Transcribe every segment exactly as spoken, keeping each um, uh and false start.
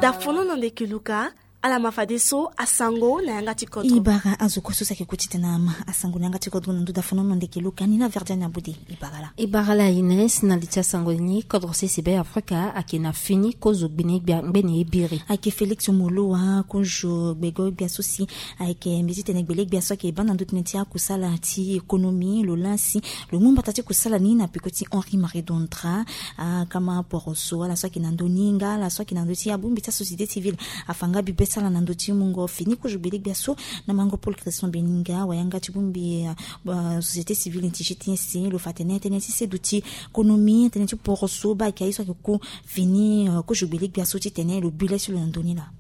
Dafono na ndeke luka. Ala ma fadeso asango na yanga ti kodro. I bara azo kue so si ayeke ku ti tene ama asango na yanga ti kodro na ndö dafono na ndeke luka ni na verdiani abode. I bara la. I bara la Ines, na li ti asango ni, kodro sese Be Afrika ayeke na fini kozo gbene gbia ngbene ye biri. Ayeke Félix Moloua, kozo gbego gbia so si ayeke mbi ti tene gbele gbia so ayeke baa na ndö tënë ti akusala ti économie, lo laa si lo mu mbata ti kusala ni na peko ti Henri Marie Dondra. Akama poroso ala so ayeke na ndö ni nga ala so ayeke na ndö ti abongbi ti asociété civile afa nga bibe ti ala na ndö ti mungo fini kozo gbele gbia so. Na mango Paul Christian Beninga, wayanga ti bongbi, ah, société civile ti G T S C, lo fa tene tënë ti seduti konomi, tënë ti poroso baa ayeke aye so ayeke ku fini, ah, kozo gbele gbia so ti tene lo bi le ti lo na ndö ni laa.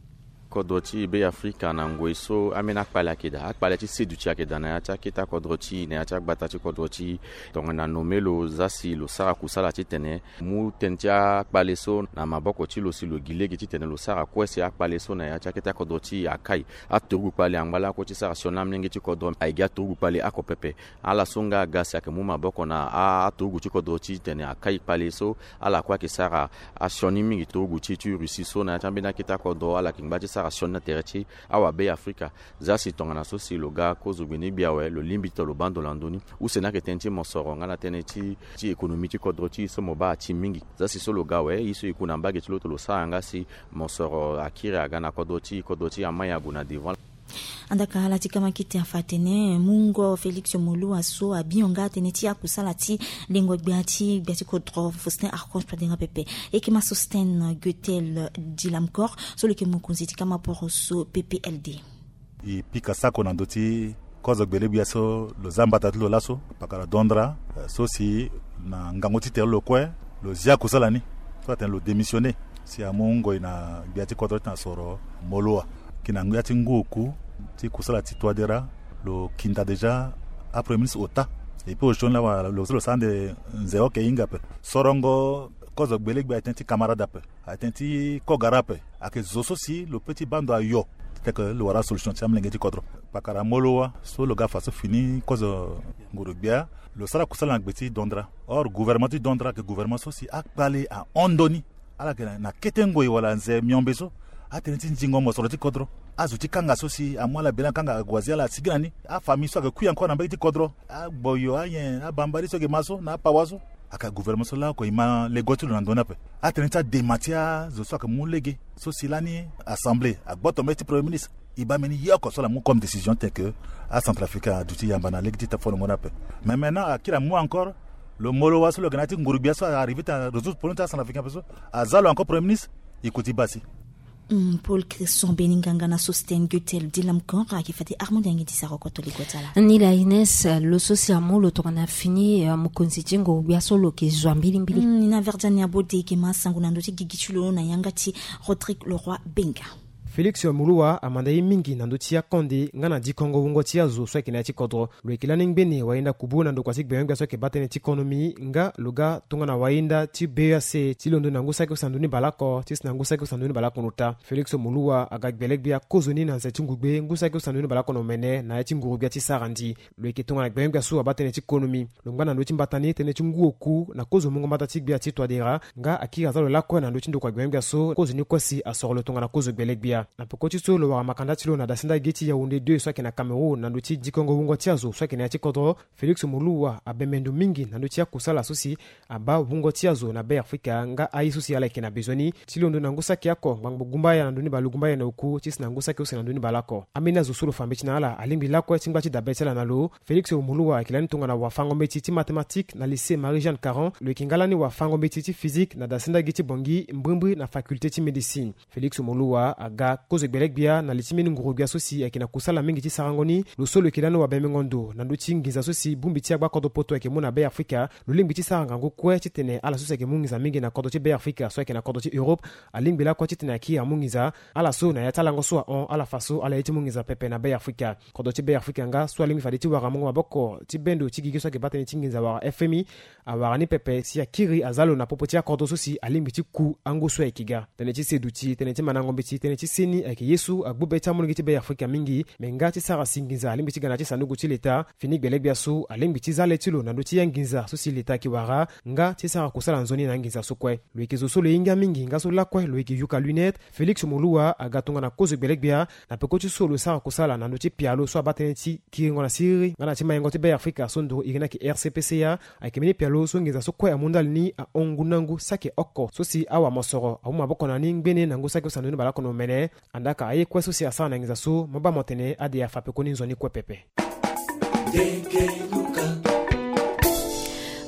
Kodro ti Be Afrika na ngoi so ambeni akpale ayeke daa, akpale ti seduti ayeke daa na ya ti akete akodro ti e, na ya ti agbata ti kodro ti e. Tongana nome lo zia si lo sara kusala titene mu tënë ti akpale so na maboko ti lo si lo gi lege titene lo sara kue si akpale so na ya ti akete akodro ti e akai. Aturugu kpale angba lakue ti sara sioni amolenge ti kodro aye gi aturugu kpale oko pepe. Ala so nga aga si ayeke mu maboko na a- aturugu ti kodro titene akai kpale so. Ala kue ayeke sara asioni mingi. Turugu ti e ti Russie so na ya ti ambeni akete akodro ala yeke ngba ti sara sioni na tere ti awabe Afrika. Zia si tongana so si lo ga kozo gbene gbia awe, lo lingbi ti lo baa ndo na ndö ni. Use ni ayeke tënë ti mosoro nga na tënë ti, ti économie ti kodro ti e so mo baa ati mingi. Zia si so lo ga awe, ye so e ku na mbage ti lo ti lo sara nga si mosoro akiri aga na kodro ti e, kodro ti e amai ague na devant. Andaka ala ti kama kete afa atene mungo Félix Moloua so abio nga tënë ti akusala ti lengo gbia ti gbia ti kodro Faustin Archange Touadéra pepe. E yeke ma Sosthène Guettel Dilamcor so lo yeke mokonzi ti kama poroso P P L D. E pika sako na ndö ti kozo gbele gbia so lo zia mbata ti lo laso, pakara Dondra, eh, so si na ngangu ti tere lo kue lo zia kusala ni so atene lo démissionner si amu ngoi na gbia ti kodro ti tena soro Moloua. Ki na ngia ti ngu oku ti kusala ti Touadéra, lo kinda déjà apremier ministre ota. Et puis osioni laa wala lo so lo sara ande nze oke hinga ape. Sorongo kozo gbele gbia atene ti camarade ape, atene ti kogara ape. Ayeke zo so si lo peut ti baa ndo ayo titene lo wara solution ti amolenge ti kodro. Pakara Moloua so lo ga fa so fini kozo nguru gbia, lo sara kusala na gbe ti Dondra. Or gouvernement ti Dondra ayeke gouvernement so si akpale ahon ndoni. Ala yeke na kete ngoi wala nze miombe so atene ti nzingo mosoro ti kodro. Azo ti kanga so si amu ala bela kanga ague azia ala asigi na ni. Afamille so ayeke kui encore na mbage ti kodro, agboyo, anyen, abambari so ayeke ma so na apawa so. Ayeke gouvernement so laoko e ma lego ti lo na ndö ni ape. Atene ti adema ti azo so ayeke mu lege so si lani assemblée agboto mbeti ti premier ministre. E baa mbeni ye oko so ala mu comme décision tene ke acentrafricain aduti yamba na lege ti tafonongo ni ape. Mais maintenant akiri amu encore lo Moloua so lo yeke na ya ti nguru gbia so arrivé ti arésoudre problème ti acentrafricain ape so, aza lo encore premier ministre. E kuti baa si. Hmm, Paul Christian Beninganga na Sosthène Guettel Dilamcor ayeke fade Armand Yangi ti sara oko to lego ti ala. Ni la Ines, lo so si amu lo tongana fini, eh, mokonzi ti nguru gbia so lo yeke zo mbilimbili. Hmm, ni na verdiani abode e yeke ma asango na ndö ti gigi ti lo na yanga ti Rodrigue Leroy Benga. Félix Moloua amanda ye mingi na ndö ti akonde nga na dikongo wungo ti azo so ayeke na ya ti kodro. Lo yeke lani ngbene wayenda kubu na ndokua ti gbenyo-gbia so ayeke baa tënë ti konomi nga lo ga tongana wayenda ti B E A C ti londo na ngu saki use na ndö ni bale oko ti si na ngu saki use na ndö ni bale oko na ota. Félix Moloua aga gbele-gbia kozoni na nze ti ngugbe ngu saki use na ndö ni bale oko na omene na ya ti nguru-gbia ti sarandi. Lo yeke tongana gbenyo-gbia so abaa tënë ti konomi. Lo ngba na ndö ti mbata ni tënë ti ngu oku na kozo mungo mbata ti gbia ti Touadéra nga akiri aza lo lakue na ndö ti ndokua gbenyo-gbia so kozoni kue si asoro lo tongana kozo gbele-gbia. Na peko ti so lo wara makanda ti lo na dasinda ge ti Yaoundé deux so ayeke na Cameroun na ndö ti dikongo wungo ti azo so ayeke na ya ti kodro, Félix Moloua abembe ndo mingi na ndö ti akusala so si abaa wungo ti azo na Be Afrika nga aye so si ala yeke na bezoin ni ti londo na ngu saki oko ngbangbo gumbaya na ndö ni bale gumbaya na oku ti si na ngu saki use na ndö ni bale oko. Ambeni azo so lo fa mbeti na ala alingbi lakue ti ngba ti dabe ti ala na lo. Félix Moloua ayeke lani tongana wafango-mbeti ti mathématique na lycée Marie-Jeanne Caron. Lo yeke nga lani wafango-mbeti ti physique na dasinda ge ti Bangui mbrimbri na faculté ti médecine. Félix Moloua aga kozo gbele-gbia na li ti mbeni nguru-gbia so si ayeke na kusala mingi ti sarango ni. Lo so lo yeke lani wabembengo ndo na ndö ti nginza so si bongbi ti agba kodro poto ayeke mu na Be Afrika. Lo lingbi ti sara ngangu kue titene ala so si ayeke mu nginza mingi na kodro ti Be Afrika so ayeke na kodro ti Europe alingbi lakue titene akiri amu nginza. Ala so na ya ti alango so ahon ala fa so ala ye ti mu nginza pepe na Be Afrika. Kodro ti Be Afrika nga so alingbi fade ti wara mungo maboko ti bendo ti gigi so ayeke baa tënë ti nginza wala F M I awara ni pepe si akiri aza lo na popo ti akodro so si alingbi ti ku angu so ayeke ga. Tënë ti seduti, tënë ti mandango mbeti, tënë ti se ni ayeke ye so agbu be ti amolenge ti Be Afrika mingi. Me nga ti sara si nginza alingbi ti ga na ya ti sanduku ti leta, fini gbelegbia so alingbi ti za le ti lo na ndö ti ya nginza so si leta ayeke wara, nga ti sara kusala nzoni na nginza so kue. Lo yeke zo so lo hinga mingi nga so lakue lo yeke yuka lunette. Félix Moloua aga tongana kozo gbelegbia na peko ti so lo sara kusala na ndö ti pialo so abaa tënë ti kiringo na siriri nga na ti mayengo ti Be Afrika so nduru iri ni ayeke R C P C A. Ayeke mbeni pialo so nginza so kue amu ndali ni ahon ngu na ngu saki oko so si awa mosoro amu maboko na ni ngbene na ngu saki so sandu ni baleoko na omene. Andaa ka aye kue so si asara na nginza so mo baa mo tene ade afa pekoni nzoni kue pepe.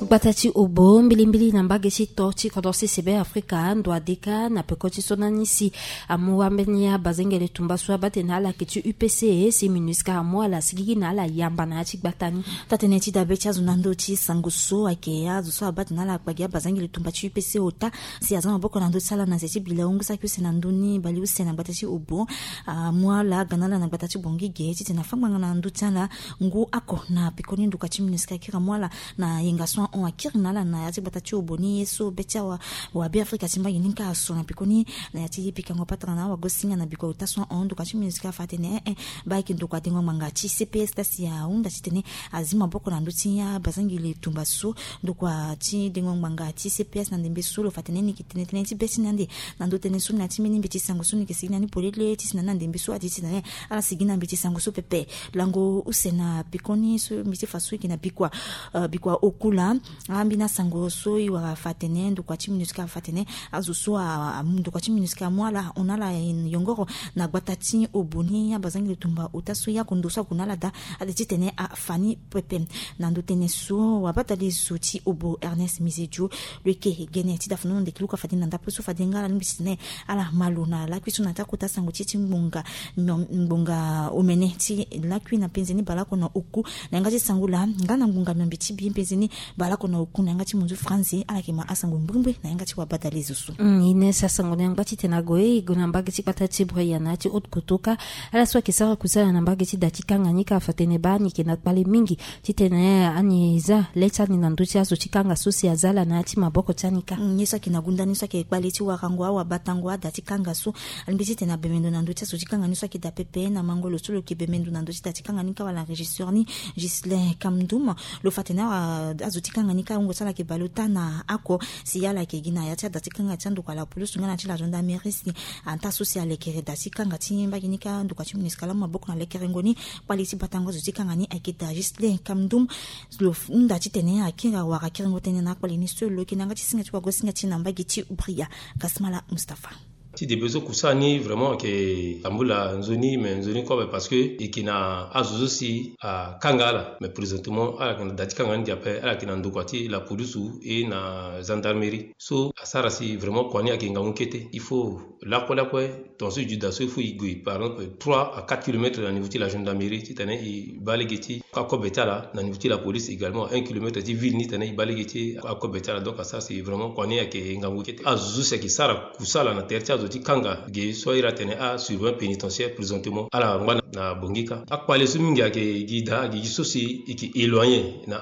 Gbata ti Obo mbilimbili na mbage ti to ti kodro sese Be Afrika ndo adeka na peko ti so na ni si amu ambeni abazengele tumba so abaa tene ala yeke ti U P C si MINUSCA amu ala sigigi na ala yamba na ya ti gbata ni. Taa-tënë ti dabe ti azo na ndö ti sango so ayeke azo so abaa tene ala kpagi abazengele tumba ti U P C ota si aza maboko na ndö ti ala na nze ti bila hungu saki use na ndö ni baleuse na gbata ti Obo. Amu ala aga na ala na gbata ti Bangui ge titene afâ ngbanga na ndö ti ala ngu oko na pekoni ndokua ti MINUSCA akiri amu ala na yenga so ahon akiri na ala na ya ti gbata ti Obo ni ye so be ti awa wa Be Afrika ti mbage ni kâ aso na pekoni na ya ti pikango patara na awagosinga na bikua ota so ahon ndokua ti MINUSCA afa atene eh eh baa ayeke ndokua dengo ngbanga ti C P S laa si ahunda titene azi maboko na ndö ti abazengele tumba so. Ndokua ti dengo ngbanga ti C P S na ndembe so lo fa tene ni yeke tene tënë ti be ti ni ande na ndö tënë so na ya ti mbeni mbeti sango so ni yeke sigi na ni polele ti si na ni na ndembe so adi titene ala sigi na mbeti sango so pepe. Lango use na pekoni so mbi ti fa so e yeke na bikua, eh, bikua oku laa. Ambeni asango so e wara afa atene ndokua ti MINUSCA afa atene azo so a, a, ndokua ti MINUSCA amu ala ahon na ala yongoro na gbata ti Obo ni abazengele tumba ota so e oko ndo so ague na ala daa ade titene afa ni pepe. Na ndö tënë so wabadale zo ti Obo Ernest Mizedio lo yeke gene ti da fano na ndeke luka fade na ndapre so fade nga ala lingbi titene ala ma lo na lakui so na ya ti akota sango ti e ti ngbonga mion-, ngbonga omene ti lakui na penze ni baleoko na oku na yanga ti sango laa nga na ngbonga miombe ti bi penze ni baleoko na oku na yanga ti munzu franzi ala yeke ma asango mbrimbri na yanga ti wabadale zo so. Mm, Ines, asango ni angba titene ague e gue na mbage ti gbata ti Bria na ya ti Haute Kotoka. Ala so ayeke sara kusala na mbage ti da ti kanga ni kâ afa tene baa ni yeke na kpale mingi titene ani za le ti ani na ndö ti azo ti kanga so si aza ala na ya ti maboko ti ani kâ. Mm, ye so ayeke na gunda ni so ayeke kpale ti warango awabatango ada ti kanga so alingbi titene abembe ndo na ndö ti azo ti kanga ni so ayeke da pepe na mango lo so lo yeke bembe ndo na ndö ti da ti kanga ni kâ wala régisseur ni Ghislain Kamdum. Lo fa tene awa azo ti kanga ni kâ ahungo so ala yeke bale ota na oko si ala yeke gi na ya ti ada ti kanga ti andokua la police nga na ti la gendarmerie si anta so si alekere da ti kanga ti mbage ni kâ ndokua ti MINUSCA amu maboko na lekerengo ni. Kpale ti batango azo ti kanga ni ayeke da Ghislain Kamdum. Lo hunda titene akiri awara kiringo tënë na akpale ni so lo yeke na yanga ti singa ti wagosinga ti e na mbage ti Bria. Kasmala Mustapha. Ti debe so kusala ni vraiment ayeke tambula nzoni, mais nzoni kobe parce que e yeke na azo so si akanga ala, mais présentement ala yeke na da ti kanga ni gi ape, ala yeke na ndokua ti la police et na gendarmerie. So asara si vraiment kua ni ayeke ngangu kete. Il faut lakue lakue tongaso e ju da so il faut e gue par exemple trois à quatre kilomètres na niveau ti la gendarmerie titene e baa lege ti akobe ti ala, na niveau ti la police également un kilomètre ti ville ni titene e baa lege ti akobe ti ala. Donc asara si vraiment kua ni ayeke ngangu kete. Azo so si ayeke sara kusala na tere ti azo ti kanga ge so airi atene asurveillant pénitentiaire présentement ala ngba na Bangui kâ. Akpale so mingi ayeke gi da ayeke gi so si e yeke éloigné na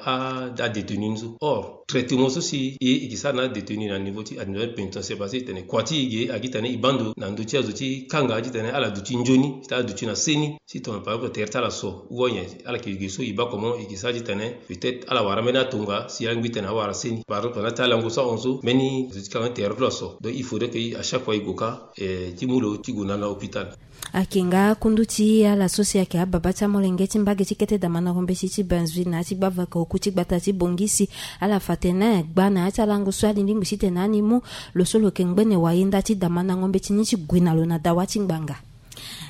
adétenu ni so. Or traitement so si e yeke sara na adétenu na niveau ti administration pénitentiaire parce que titene kua ti e ge agi titene e baa ndo na ndö ti azo ti kanga titene ala duti nzoni titene ala duti na seni. Si tongana par exemple tere ti ala so ou bien ala yeke ge so e baa comment e yeke sara titene peut-être ala wara mbeni atonga si ala ngbi titene awara seni. Par exemple na ti alango so ahon so mbeni azo ti kanga ni tere ti lo aso. Donc il faudrait que à chaque fois e gue kâ, eh, ti mu lo ti gue na na hôpital. Ayeke nga kundu ti ala so si ayeke ababa ti amolenge ti mbage ti kete damandango mbeti ti Benzville na ya ti gbavaka oku ti gbata ti Bangui si ala fa tene gba na ya ti alango so alingbi titene ani mu lo so lo yeke ngbene wayenda ti damandango mbeti ni ti gue na lo na dawa ti ngbanga.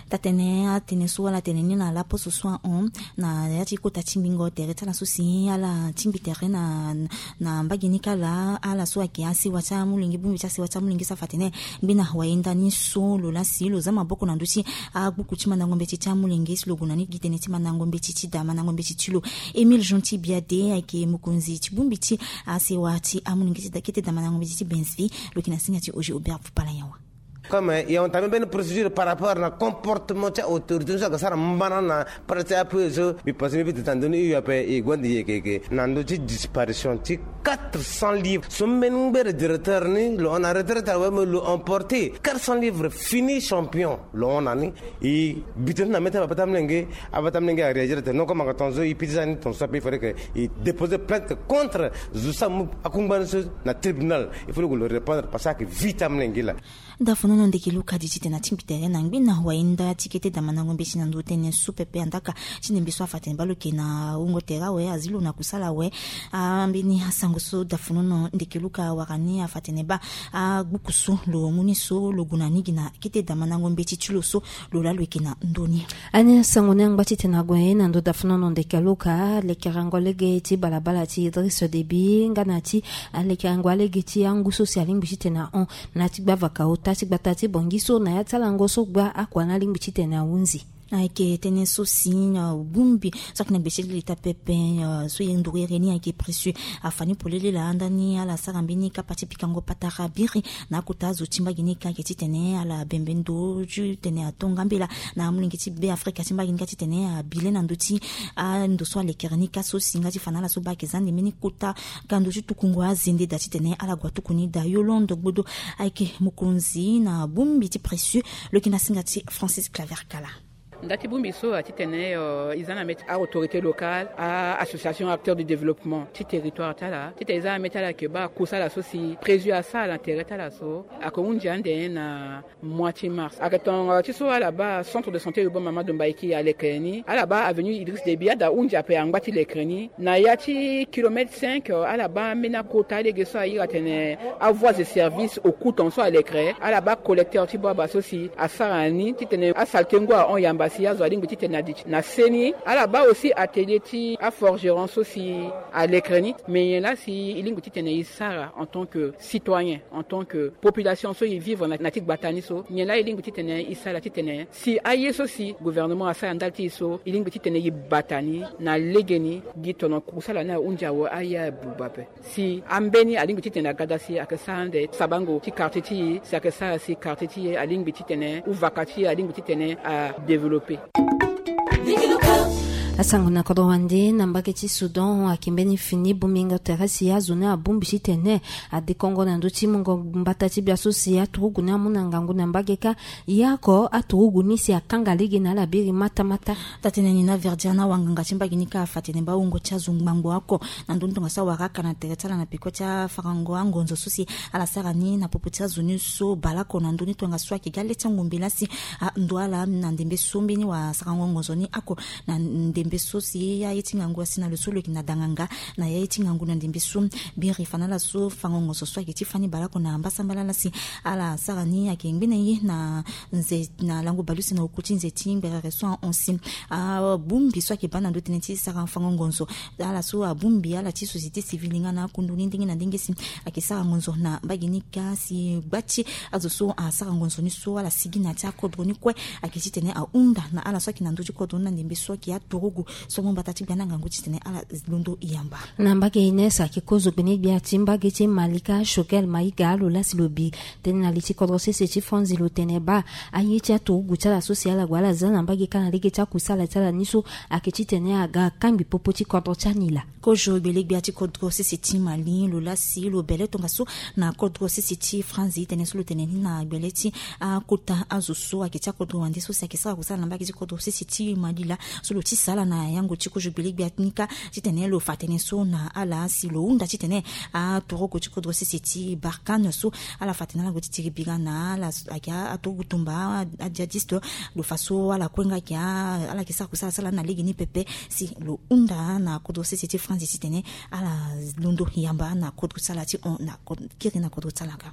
Taa-tënë atënë so wala atene ni na laposo so ahon na ya ti kota ti mbingo tere ti ala so si ala tingbi tere na na mbage ni kâ laa ala so ayeke asewa ti amolenge bongbi ti asewa ti amolenge so afa atene ngbene wayenda ni so lo laa si lo za maboko na ndö ti agbuku ti mandango mbeti ti amolenge si lo gue na ni gi tënë ti mandango mbeti ti da mandango mbeti ti lo. Émile Gentil Biade ayeke mokonzi ti bongbi ti asewa ti amolenge ti da kete da mandango mbeti ti Benzville. Lo yeke na singa ti Oge Aubert Vupala Yawa. Comme il y a entamé une procédure par rapport na comportement ti autorité so aga sara mbana na prêt ape so. Mbi pense mbi bi teta ndoni iyo ape e gonde yeke yeke na ndö ti disparition ti quatre cents livres. So mbeni ngbere directeur ni lo hon na retraite awe me lo emporté quatre cents livres, fini champion lo hon na ni. E bi tena na mê ti abata mlenge. Abata mlenge aréagir ate non comme anga tonzo e piti sani tonzo ape il faudrait que e déposer plainte contre zo so amu akungba ni so na tribunal. Il faut lo répondre parce que vite amlenge la. Dafonono ndeke luka di ti tena ti mbi tere na ngbi na wainda ti kete damandango mbeti na ndo tene so pepe andaka ti ndembe so afa tene balo ke na wungo tere awe azi lo na kusala awe. Ambeni asango so dafonono ndeke luka wara ni afa tene baa agbuku so lo mu ni so lo gue na ni gi na kete damandango mbeti ti lo so lo laa lo yeke na ndö ni. Ani asango ni angba titene ague na ndo dafonono ndeke luka lekerengo lege ti balabala ti Idriss Déby nga na ti alekerengo alege ti angu so si alingbi titene ahon na ti gbavaka ota ti gbata ti bongi so na ya ti alango so gba akua ni alingbi titene ahunzi. Ayeke tënë so si bongbi so ayeke na gbe ti leta pepe so e nduru ere ni ayeke précieux. Afa ni polele laa ndani ala sara mbeni kapa ti pikango patara biri na akota azo ti mbage ni ka ayeke titene ala bembe ndo titene ato ngambela na amolenge ti Be Afrika ti mbage ni ka titene abi le na ndö ti ando so alekere ni ka so si nga ti fa na ala so baa ayeke za ande mbeni kota gando ti tukungo azende daa titene ala gue atuku ni daa. Yolande Gbodo ayeke mokonzi na bongbi ti précieux. Lo yeke na singa ti Francis Claver Kala. Nda ti bongbi so atitene e za na mê ti a-autorité locale, a-association acteur du développement ti territoire ti ala titene e za na mê ti ala ayeke baa kusala so si précieux asara na tere ti ala so ayeke hunzi ande na mois ti mars. Ayeke tongana ti so ala baa centre de santé urbain Mamadou Mbaïki alekere ni, ala baa avenue Idriss Déby ada hunzi ape angba ti lekere ni. Na ya ti kilomètre cinq ala baa ambeni akota lege so airi atene avoies de service au coût tonga so alekere, ala baa collecteur ti baba so si asara ni titene asaltengo ahon yamba si azo alingbi titene adi na se ni. Ala baa aussi atelier ti aforgeron so si alekere ni. Mais nyen laa si e lingbi titene e sara en tant que citoyen, en tant que population so e vivre na ti gbata ni so, nyen laa e lingbi titene e sara titene si aye so si gouvernement asara ndali ti e so e lingbi titene e bata ni na legeni gi tono kusala ni ahunzi awe aya buba ape. Si ambeni alingbi titene aga daa si ayeke sara ande sabango ti quartier ti e si ayeke sara si quartier ti e alingbi titene ou vaka ti e alingbi titene adéveloppé. Asango na kodro wande na mbage ti Soudan ayeke mbeni fini bongbingo tere si azo ni abongbi titene adekongo na ndö ti mungo mbata ti bia so si aturugu ni amu na ngangu na mbage kâ. Ya oko aturugu ni si akanga lege na ala biri matamata. Tatene ni na Verdiana wanganga ti mbage ni kâ afa tene baa wungo ti azo ngbangbo oko na ndö ni tongaso awara aka na tere ti ala na peko ti afarango angonzo so si ala sara ni na popo ti azo ni so baleoko na ndö ni tongaso ayeke ga le ti angombe laa si ando ala na ndembe so mbeni wasarango ngonzo ni oko na ndembe so si aye ti ngangu asi na lo so lo yeke na danganga na ya ye ti ngangu na ndembe so. Biri fa na ala so fango ngonzo so ayeke ti fani baleoko na mbasambala laa si ala sara ni ayeke ngbene ye na nze na lango baleuse na oko ti nze ti ngberere so ahon si abongbi so ayeke baa na ndö tënë ti sara fango ngonzo ala so abongbi ala ti société civile nga na akundu ni ndenge na ndenge si ayeke sara ngonzo na mbage ni kâ si gba ti azo so asara ngonzo ni so ala sigi na ya ti akodro ni kue ayeke titene ahunda na ala so ayeke na ndö ti kodro ni na ndembe so ayeke aturugu so mu mbata ti gbia ni angangu titene ala londo yamba. Na mbage Ines ayeke kozo gbene gbia ti mbage ti Malika Choguel Maïga lo laa si lo bi tënë na li ti kodro sese ti Franzi lo tene baa aye ti aturugu ti ala so si ala gue ala za na mbage kâ na lege ti akusala ti ala ni so ayeke titene aga akangbi popo ti kodro ti anila. Kozo gbele gbia ti kodro sese ti Mali lo laa si lo bele tongaso na kodro sese ti Franzi tënë so lo tene ni na gbele ti akota azo so ayeke ti akodro wande so si ayeke sara kusala na mbage ti kodro sese ti Mali laa so lo ti sala na yango ti kozo gbele gbia ni kâ titene lo fa tënë so na ala si lo hunda titene aturugu ti kodro sese ti Barkhane so ala fa tënë ala gue ti tiri bira na ala ayeke aturugu tumba ajihadiste. Lo fa so ala kue nga ayeke ala yeke sara kusala sala na lege ni pepe si lo hunda na kodro sese ti Franzi titene ala londo yamba na kodro ti ala ti hon na kiri na kodro ti ala kâ.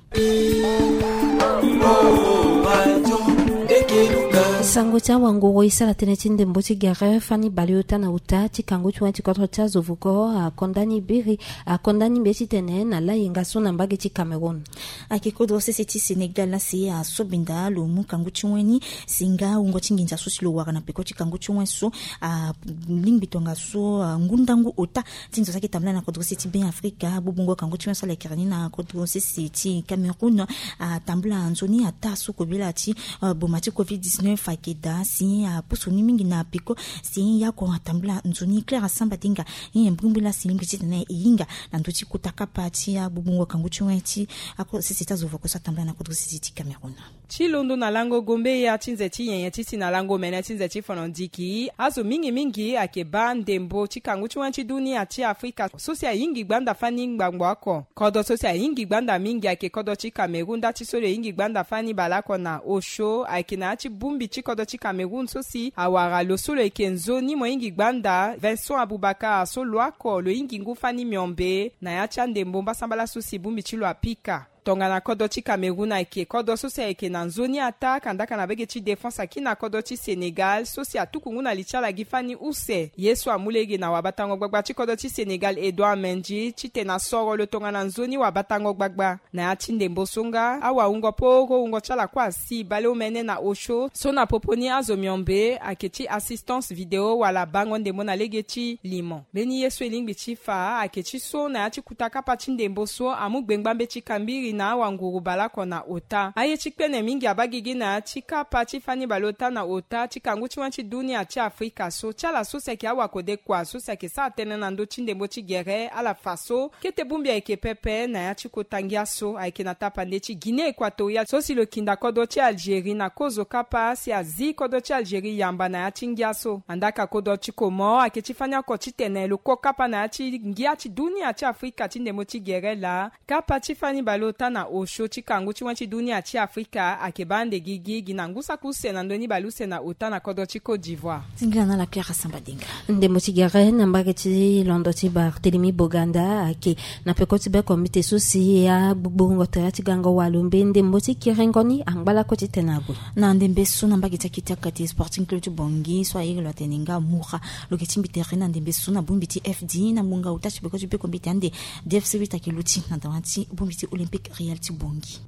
Sango ti awanguru e sara tënë ti ndembo ti gere fani baleota na ota ti kangu ti wen ti kodro ti azo vuko akonda ni biri, akonda ni mbe titene na layenga so na mbage ti Cameroun. Ayeke kodro sese ti Sénégal laa si asobenda lo mu kangu ti wen ni si nga wungo ti nginza so si lo wara na peko ti kangu ti wen so, alingbi tongaso ngu ndangu ota ti nzo so ayeke tambula na kodro sese ti Be Afrika. Gbubungo kangu ti wen so ala yeke ni na kodro sese ti Cameroun atambula nzoni ataa so kobela ti boma ti covid dix-neuf ayeke daa si apusu ni mingi na peko. Si ya oko atambula nzoni Claire Asamba Dinga, e nyen mbirimbiri laa si lingbi titene e hinga na ndö ti kota kapa ti agbubungo kangu ti wen ti ako sese ti azo voko so atambula na kodro sese ti Cameroun. Ti londo na lango gombeya ti nze ti nyenye ti si na lango mene ti nze ti fono ndiki, azo mingi mingi ayeke baa ndembo ti kangu ti wen ti dunia ti Afrika so si ahingi gbanda fani ngbangbo oko. Kodro so si ahingi gbanda mingi ayeke kodro ti Cameroun, nda ti so lo hingi gbanda fani baleoko na osio ayeke na ya ti bongbi ti kodro ti Cameroun so si awara lo so lo yeke nzoni mo hingi gbanda Vincent Aboubakar so lo oko lo hingi ngu fani miombe na ya ti andembo mbasambala so si bongbi ti lo apika. Tongana kodro ti Cameroun ayeke kodro so si ayeke na nzoni ataa kandaka na bege ti défense aki na kodro ti Sénégal so si atuku ngu na li ti ala gi fani use. Ye so amu lege na wabatango gbagba ti kodro ti Sénégal Edouard Mendy titene asoro lo tongana nzoni wabatango gbagba. Na ya ti ndembo so nga awawungo poro wungo ti ala kue asi baleomene na osio so na popo ni azo miombe ayeke ti assistance vidéo wala bango ndembo na lege ti limo. Mbeni ye so e lingbi ti fa ayeke ti so na ya ti kuta kapa ti ndembo so amu gbengba mbeti kambiri na awanguru baleoko na ota. Aye ti kpene mingi abaa gigi na ya ti kapa ti fani baleota na ota ti kangu ti wen ti dunia ti Afrika so ti ala so si ayeke awakodekua so si ayeke sara tënë na ndö ti ndembo ti gere ala fa so kete bongbi ayeke pepe na ya ti kota ngia so ayeke na tapande ti Guinée Équatoriale so si lo kinda kodro ti Algérie na kozo kapa si azi kodro ti Algérie yamba na ya ti ngia so. Andaka kodro ti Comores ayeke ti fani oko titene lo ko kapa na ya ti ngia ti dunia ti Afrika ti ndembo ti gere laa. Kapa ti fani baleota na osio ti kangu ti wen ti dunia ti Afrika ayeke baa ande gigi gi na ngu saki use na ndö ni baleuse na ota na kodro ti Côte d'Ivoire. Singila na ala Claire Asamba Dinga. Ndembo ti gere na mbage ti londo ti Barthélemy Boganda ayeke na peko ti be kombite so si agbugburungo tere ti gango walo mbe ndembo ti kiringo ni angba lako titene ague. Na ndembe so na mbage ti akete akate Sporting Club ti Bangui so airi lo atene nga Moura lo yeke tingbi tere na ndembe so na bongbi ti F D na ngbonga ota ti peko ti be kombite ande D F C huit ayeke luti na dawa ti bongbi ti Olympique Real ti Bangui.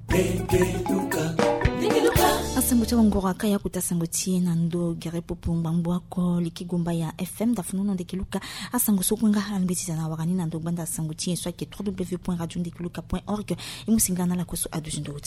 Asango ti awanguru aka ya kota sango ti e na ndo gere popo ngbangbo oko liki gomba ya F M da funu na ndeke luka. Asango so kue nga alingbi ti za na wara ni na ndo gbanda asango ti e so ayeke trois W point radio ndeke luka point org. E mu singila na ala kue so aduti ndo ti